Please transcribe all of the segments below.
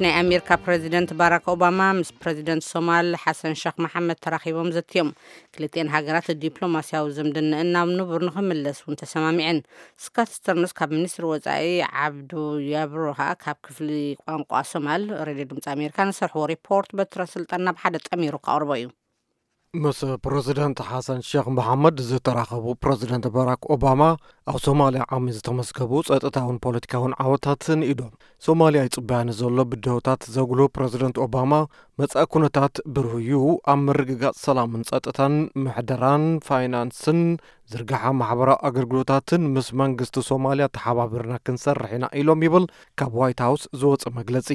ናይ ኣሜሪካ ፕረዚደንት ባራክ ኦባማ ምስ ፕረዚደንት ሶማል ሓሰን ሸኽ መሓመድ ተራኺቦም ዘትዮም። ክልቲኤን ሃገራት ዲፕሎማስያዊ ዝምድንአን ናብ ንቡር ንኽምለስ እውን ተሰማሚዐን። ስካት ስተርንስ ካብ ሚኒስትሪ ወጻኢ፣ ዓብዱ ያብሮ ከኣ ካብ ክፍሊ ቋንቋ ሶማል፣ ሬድዮ ድምፂ ኣሜሪካ ንሰርሕዎ ሪፖርት በትረ ስልጣን ናብ ሓደ ጠሚሩ ከቕርቦ እዩ። ምስ ፕረዚደንት ሓሰን ሸኽ መሓመድ ዝተራኸቡ ፕረዚደንት ባራክ ኦባማ፣ ኣብ ሶማልያ ዓሚ ዝተመዝገቡ ጸጥታውን ፖለቲካውን ዓወታትን ኢዶም። ሶማልያ ይጽበያ ንዘሎ ብድሆታት ዘጉልሁ ፕረዚደንት ኦባማ፣ መጻኢ ኩነታት ብርህ እዩ፣ ኣብ ምርግጋጽ ሰላምን ጸጥታን፣ ምሕደራን ፋይናንስን ዝርግሓ ማሕበራዊ ኣገልግሎታትን ምስ መንግስቲ ሶማልያ ተሓባቢርና ክንሰርሕ ኢና ኢሎም ይብል ካብ ዋይት ሃውስ ዝወጸ መግለጺ።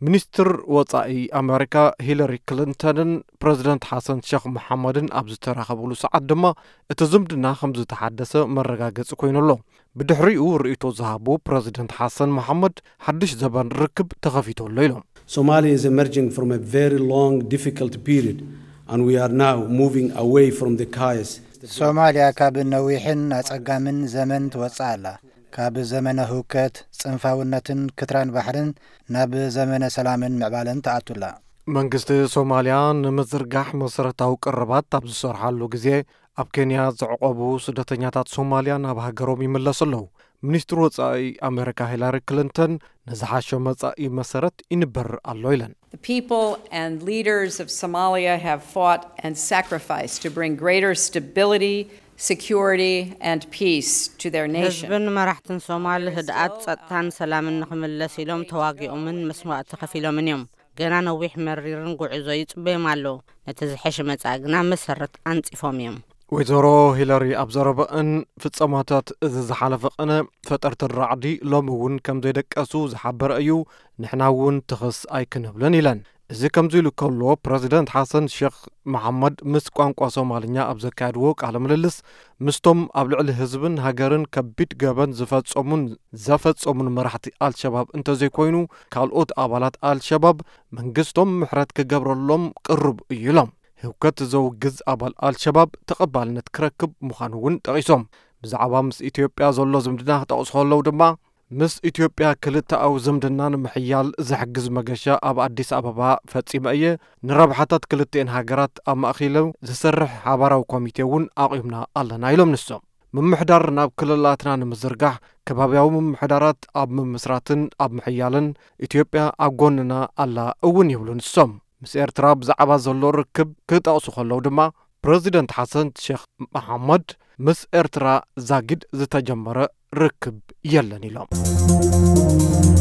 ሚኒስትር ወጻኢ ኣሜሪካ ሂለሪ ክሊንተንን ፕረዚደንት ሓሰን ሸኽ መሓመድን ኣብ ዝተራኸብሉ ሰዓት ድማ እቲ ዝምድና ከም ዝተሓደሰ መረጋገጺ ኮይኑ ኣሎ። ብድሕሪኡ ርእይቶ ዝሃቡ ፕረዚደንት ሓሰን መሓመድ፣ ሓድሽ ዘበን ርክብ ተኸፊቱ ኣሎ ኢሎም። Somalia is emerging from a very long, difficult period, and we are now moving away from the chaos. ሶማልያ ካብ ነዊሕን ኣጸጋምን ዘመን ትወጽእ ኣላ። ካብ ዘመነ ህውከት፣ ጽንፋውነትን ክትራን ባሕርን ናብ ዘመነ ሰላምን ምዕባለን ትኣቱላ። መንግስቲ ሶማልያ ንምዝርጋሕ መሰረታዊ ቅርባት ኣብ ዝሰርሓሉ ግዜ፣ ኣብ ኬንያ ዝዕቆቡ ስደተኛታት ሶማልያ ናብ ሃገሮም ይምለሱ ኣለዉ። ሚኒስትር ወጻኢ ኣሜሪካ ሂላሪ ክሊንተን፣ ንዝሓሸ መጻኢ መሰረት ይንበር ኣሎ ኢለን። The people and leaders of Somalia have fought and sacrificed to bring greater stability, security, and peace to their nation. ህዝብን መራሕትን ሶማል ህድኣት፣ ጸጥታን ሰላምን ንኽምለስ ኢሎም ተዋጊኦምን መስዋእቲ ከፊሎምን እዮም። ገና ነዊሕ መሪርን ጉዕዞ ይጽበዮም ኣሎ። ነቲ ዝሐሸ መጻኢ ግና መሰረት ኣንጺፎም እዮም። ወይዘሮ ሂለሪ ኣብ ዘረበአን፣ ፍጸማታት እዚ ዝሓለፈ ቅነ ፈጠርቲ ራዕዲ ሎሚ እውን ከም ዘይደቀሱ ዝሓበረ እዩ። ንሕና እውን ትኽስ ኣይክንብልን ኢለን። እዚ ከምዚ ኢሉ ከሎ፣ ፕረዚደንት ሓሰን ሸኽ መሓመድ ምስ ቋንቋ ሶማልኛ ኣብ ዘካየድዎ ቃለ ምልልስ፣ ምስቶም ኣብ ልዕሊ ህዝብን ሃገርን ከቢድ ገበን ዝፈጸሙን ዘፈጸሙን መራሕቲ ኣልሸባብ እንተዘይኮይኑ፣ ካልኦት ኣባላት ኣልሸባብ መንግስቶም ምሕረት ክገብረሎም ቅሩብ እዩ ኢሎም። ህውከት ዘውግዝ ኣባል ኣልሸባብ ተቐባልነት ክረክብ ምዃኑ እውን ጠቒሶም። ብዛዕባ ምስ ኢትዮጵያ ዘሎ ዝምድና ክጠቕሱ ከለዉ ድማ፣ ምስ ኢትዮጵያ ክልተኣዊ ዝምድና ንምሕያል ዝሕግዝ መገሻ ኣብ ኣዲስ ኣበባ ፈጺመ እየ። ንረብሓታት ክልቲኤን ሃገራት ኣማእኪሉ ዝሰርሕ ሓባራዊ ኮሚቴ እውን ኣቑምና ኣለና ኢሎም ንሶም። ምምሕዳር ናብ ክልላትና ንምዝርጋሕ፣ ከባብያዊ ምምሕዳራት ኣብ ምምስራትን ኣብ ምሕያልን ኢትዮጵያ ኣብ ጎንና ኣላ እውን ይብሉ ንሶም። ምስ ኤርትራ ብዛዕባ ዘሎ ርክብ ክጠቕሱ ከለዉ ድማ፣ ፕረዚደንት ሓሰን ሼኽ መሓመድ፣ ምስ ኤርትራ ዛጊድ ዝተጀመረ ርክብ የለን ኢሎም።